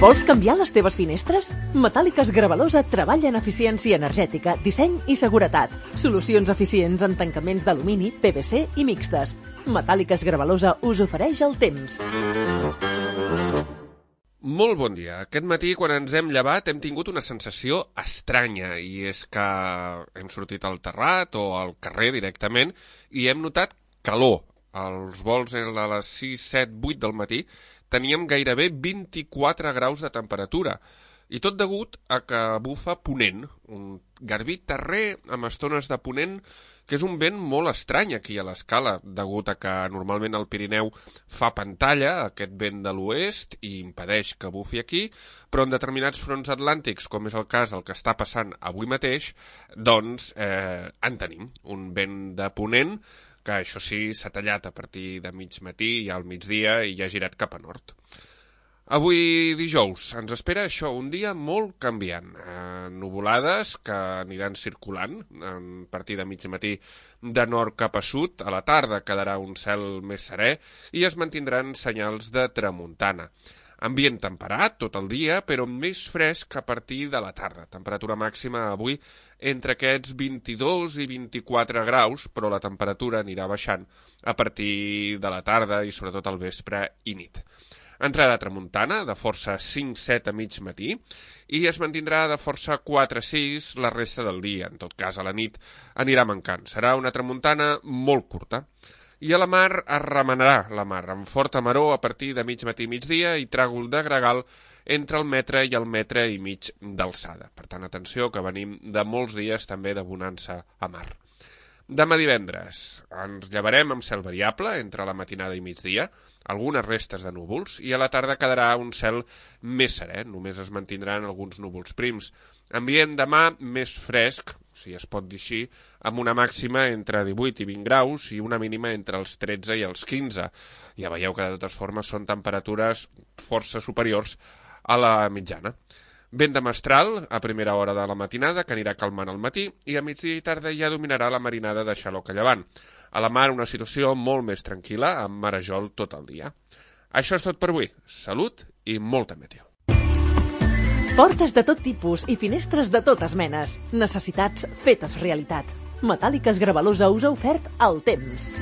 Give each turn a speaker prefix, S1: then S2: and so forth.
S1: Vols canviar les teves finestres? Metàl·liques Gravalosa treballa en eficiència energètica, disseny i seguretat. Solucions eficients en tancaments d'alumini, PVC i mixtes. Metàl·liques Gravalosa us ofereix el temps.
S2: Molt bon dia. Aquest matí, quan ens hem llevat, hem tingut una sensació estranya, i és que hem sortit al terrat o al carrer directament i hem notat calor. Els vols a les 6, 7, 8 del matí teníem gairebé 24 graus de temperatura, i tot degut a que bufa ponent, un garbí terrer amb estones de ponent, que és un vent molt estrany aquí a l'Escala, degut a que normalment el Pirineu fa pantalla, aquest vent de l'oest, i impedeix que bufi aquí, però en determinats fronts atlàntics, com és el cas del que està passant avui mateix, doncs en tenim un vent de ponent, que això sí s'ha tallat a partir de mig matí i al migdia i ja ha girat cap a nord. Avui dijous ens espera això, un dia molt canviant. Nuvolades que aniran circulant a partir de mig matí de nord cap a sud, a la tarda quedarà un cel més serè i es mantindran senyals de tramuntana. Ambient temperat tot el dia, però més fresc a partir de la tarda. Temperatura màxima avui entre aquests 22 i 24 graus, però la temperatura anirà baixant a partir de la tarda i sobretot al vespre i nit. Entrarà tramuntana de força 5-7 a mig matí i es mantindrà de força 4-6 la resta del dia. En tot cas, a la nit anirà mancant. Serà una tramuntana molt curta. I a la mar es remenarà la mar, amb forta maror a partir de mig matí i migdia i tràgol de gregal entre el metre i el metre i mig d'alçada. Per tant, atenció, que venim de molts dies també de bonança a mar. Demà divendres ens llevarem amb cel variable entre la matinada i migdia, algunes restes de núvols, i a la tarda quedarà un cel més serè, només es mantindran alguns núvols prims. Ambient demà més fresc, si es pot dir així, amb una màxima entre 18 i 20 graus i una mínima entre els 13 i els 15. Ja veieu que de totes formes són temperatures força superiors a la mitjana. Vent de mestral a primera hora de la matinada, que anirà calmant al matí, i a migdia i tarda ja dominarà la marinada de xaloc a llevant. A la mar una situació molt més tranquil·la, amb marejol tot el dia. Això és tot per avui. Salut i molta meteo.
S1: Portes de tot tipus i finestres de totes menes. Necessitats fetes realitat. Metàl·liques Gravalosa us ha ofert el temps.